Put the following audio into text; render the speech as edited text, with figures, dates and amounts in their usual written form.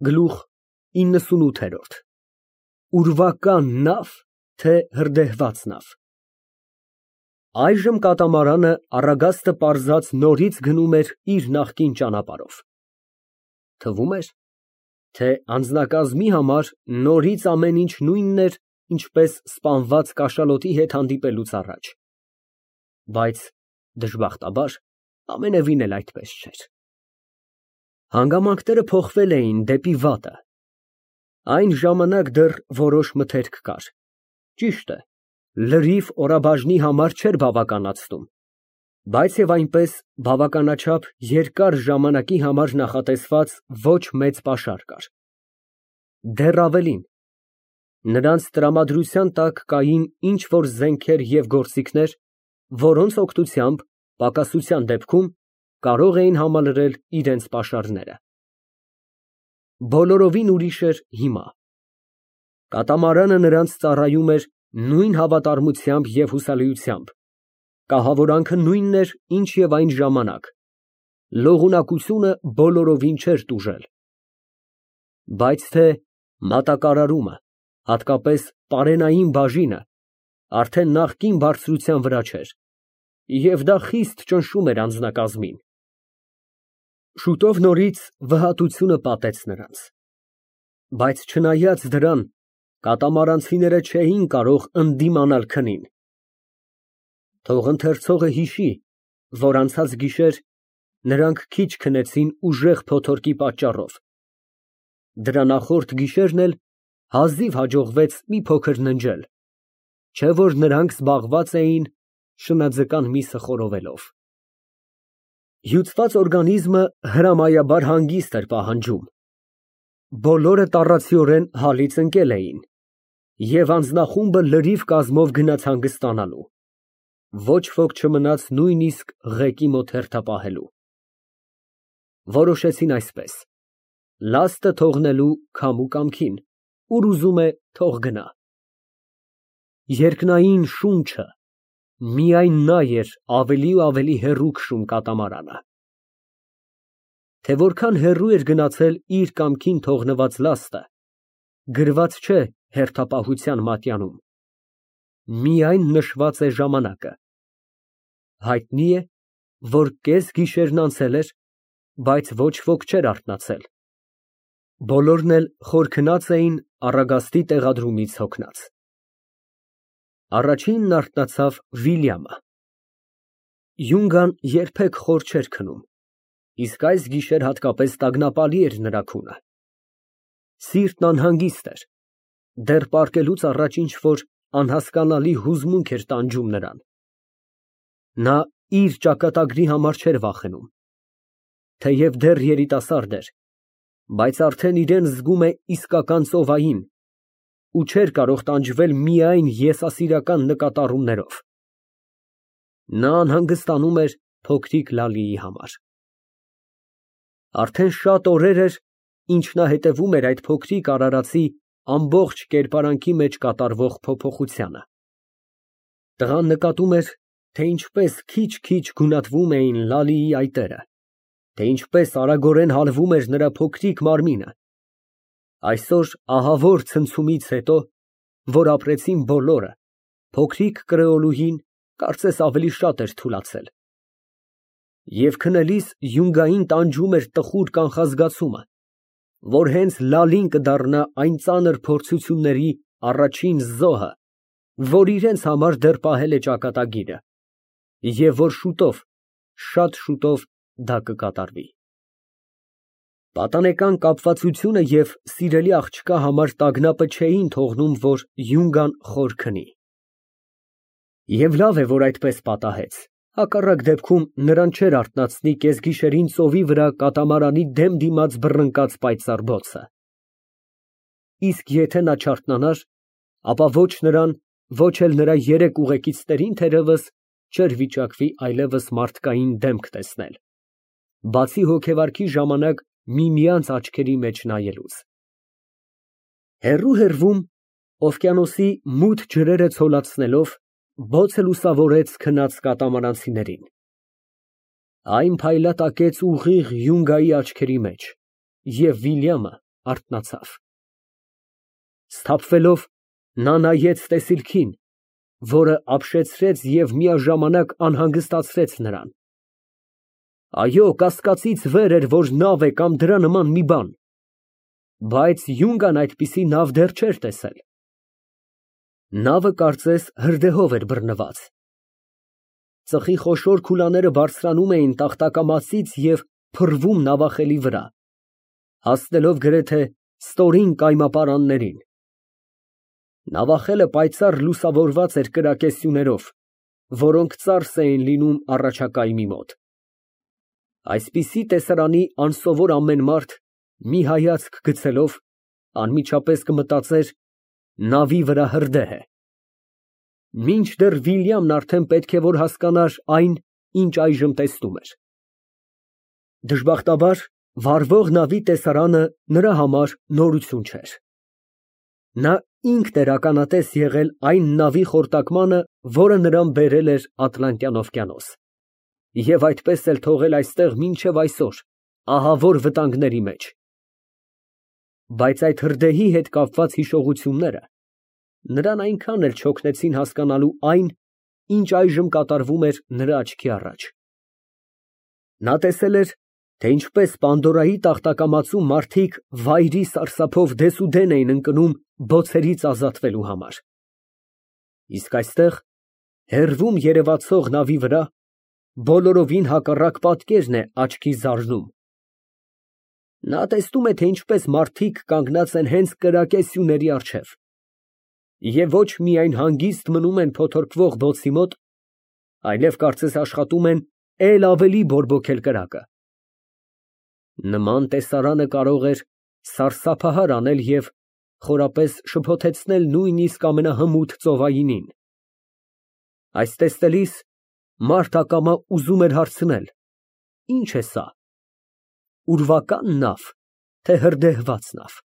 Գլուխ 98 Ուրվական նավ, թե հրդեհված նավ։ Այժմ կատամարանը Առագաստը պարզած նորից գնում էր իր նախկին ճանապարհով։ Թվում էր, թե անձնակազմի համար նորից ամեն ինչ նույնն էր, ինչպես սպանված կաշալոտի հետ հանդիպելուց առաջ։ Բայց դժբախտաբար ամենևին էլ այդպես չէր։ Հանգամանքները փոխվել էին դեպի վատը։ Այն ժամանակ դեռ որոշ մթերք կար։ Ճիշտ է, լրիվ օրաբաժնի համար չէր բավականացնում, բայց եւ այնպես բավականաչափ երկար ժամանակի համար նախատեսված ոչ մեծ պաշար կար։ Դեռ ավելին, նրանց տրամադրության տակ կային ինչ֊որ զենքեր և գործիքներ, որոնց օգնությամբ պակասության դեպքում կարող էին համալրել իրենց պաշարները։ Բոլորովին ուրիշ էր հիմա։ Կատամարանը նրանց ծառայում էր նույն հավատարմությամբ և հուսալիությամբ, կահավորանքը նույնն էր, ինչ և այն ժամանակ, լողունակությունը բոլորովին չէր տուժել։ Բայց թե մատակարարումը, հատկապես պարենային բաժինը, արդեն նախկին բարձրության վրա չէր, և դա խիստ ճնշում էր անձնակազմին։ Շուտով նորից վհատությունը պատեց նրանց։ Բայց չնայած դրան, կատամարանցիները չէին կարող ընդդիմանալ քնին։ Թող ընթերցողը հիշի, որ անցած գիշեր նրանք քիչ քնեցին ուժեղ փոթորկի պատճառով։ Դրա նախորդ գիշերն էլ հազիվ հաջողվեց մի փոքր ննջել, չէ որ նրանք զբաղված էին շնաձկան միսը խորովելով։ Հյուծված օրգանիզմը հրամայաբար հանգիստ էր պահանջում։ Բոլորը տառացիորեն հալից ընկել էին, և անձնախումբը լրիվ կազմով գնաց հանգստանալու։ Ոչ ոք չմնաց նույնիսկ ղեկի մոտ հերթապահելու։ Որոշեցին այսպես. լաստը թողնելու քամու կամքին, ուր ուզում է, թող գնա։ Երկնային շունչը միայն նա էր ավելի ու ավելի հեռու քշում կատամարանը։ Թե որքան հեռու էր գնացել իր կամքին թողնված լաստը, գրված չէ հերթապահության մատյանում։ Միայն նշված է ժամանակը։ Հայտնի է, որ կեսգիշերն անցել էր, բայց ոչ ոք չէր արթնացել։ Բոլորն էլ խոր քնած էին Առագաստի տեղադրումից հոգնած։ Առաջինն արթնացավ Վիլյամը։ Յունգան երբեք խոր չէր քնում, իսկ այս գիշեր հատկապես տագնապալի էր նրա քունը։ Սիրտն անհանգիստ էր, դեռ պառկելուց առաջ ինչ֊որ անհասկանալի հուզմունք էր տանջում նրան։ Նա իր ճակատագրի համար չէր վախենում, թեև դեռ երիտասարդ էր, բայց արդեն իրան զգում է իսկական ծովային ու չէր կարող տանջվել միայն եսասիրական նկատառումներով։ Նա անհանգստանում էր փոքրիկ Լալիի համար։ Արդեն շատ օրեր էր, ինչ նա հետևում էր այդ փոքրիկ արարածի ամբողջ կերպարանքի մեջ կատարվող փոփոխությանը։ Տղան նկատում էր, թե ինչպես քիչ֊քիչ գունատվում էին Լալիի այտերը, թե ինչպես արագորեն հալվում էր նրա փոքրիկ մարմինը։ Այսօր ահավոր ցնցումից հետո, որ ապրեցին բոլորը, փոքրիկ կրեոլուհին կարծես ավելի շատ էր թուլացել։ Եվ քնելիս յունգային տանջում էր տխուր կանխազգացումը, որ հենց Լալին կդառնա այն ծանր փորձությունների առաջին զոհը, որ իրենց համար դեռ պահել է ճակատագիրը, և որ շուտով, շատ շուտով դա կկատարվի։ Պատանեկան կապվածությունը և սիրելի աղջկա համար տագնապը չէին թողնում, որ յունգան խոր քնի։ Եվ լավ է, որ այդպես պատահեց, հակառակ դեպքում նրան չէր արթնացնի կեսգիշերին ծովի վրա կատամարանի դեմ դիմաց բռնկած պայծառ բոցը։ Իսկ եթե նա չարթնանար, ապա ոչ նրան, ոչ էլ նրա երեք ուղեկիցներին թերևս չէր վիճակվի այլևս մարդկային դեմք տեսնել, բացի հոգեվարքի ժամանակ միմյանց աչքերի մեջ նայելուց։ Հեռու֊հեռվում, օվկիանոսի մութ ջրերը ցոլացնելով, բոցը լուսավորեց քնած կատամարանցիներին։ Այն փայլատակեց ուղիղ յունգայի աչքերի մեջ, և Վիլյամը արթնացավ։ Սթափվելով, նա նայեց տեսիլքին, որը ապշեցրեց և միաժամանակ անհանգստացրեց նրան։ Այո, կասկածից վեր էր, որ նավ է կամ դրա նման մի բան, բայց յունգան այդպիսի նավ դեռ չէր տեսել։ Նավը կարծես հրդեհով էր բռնված։ Ծխի խոշոր քուլաները բարձրանում էին տախտակամասից և փռվում նավախելի վրա, հասնելով գրեթե ստորին կայմապարաններին։ Նավախելը պայծառ լուսավորված էր կրակեսյուներով, որոնք ծարս էին լինում առաջակայմի մոտ։ Այսպիսի տեսարանի անսովոր ամեն մարդ, մի հայացք գցելով, անմիջապես կմտածեր. նավի վրա հրդեհ է։ Մինչդեռ Վիլյամն արդեն պետք է որ հասկանար այն, ինչ այժմ տեսնում էր։ Դժբախտաբար, վառվող նավի տեսարանը նրա համար նորություն չէր։ Նա ինքն էր ականատես եղել այն նավի խորտակմանը, որը նրան բերել էր Ատլանտյան օվկիանոս, և այդպես էլ թողել այստեղ մինչև այսօր, ահավոր վտանգների մեջ։ Բայց այդ հրդեհի հետ կապված հիշողությունները նրան այնքան էլ չօգնեցին հասկանալու այն, ինչ այժմ կատարվում էր նրա աչքի առաջ։ Նա տեսել էր, թե ինչպես Պանդորայի տախտակամածում մարդիկ վայրի սարսափով դեսուդեն էին ընկնում բոցերից ազատվելու համար։ Իսկ այստեղ, հեռվում երևացող նավի վրա, բոլորովին հակառակ պատկերն է աչքի զարնում։ Նա տեսնում է, թե ինչպես մարդիկ կանգնած են հենց կրակեսյուների առջև, և ոչ միայն հանգիստ մնում են փոթորկվող բոցի մոտ, այլև կարծես աշխատում են էլ ավելի բորբոքել կրակը։ Նման տեսարանը կարող էր սարսափահար անել և խորապես շփոթեցնել նույնիսկ ամենահմուտ ծովայինին։ Այս տեսնելիս մարդ ակամա ուզում էր հարցնել. ի՞նչ է սա, ուրվակա՞ն նավ, թե հրդեհված նավ։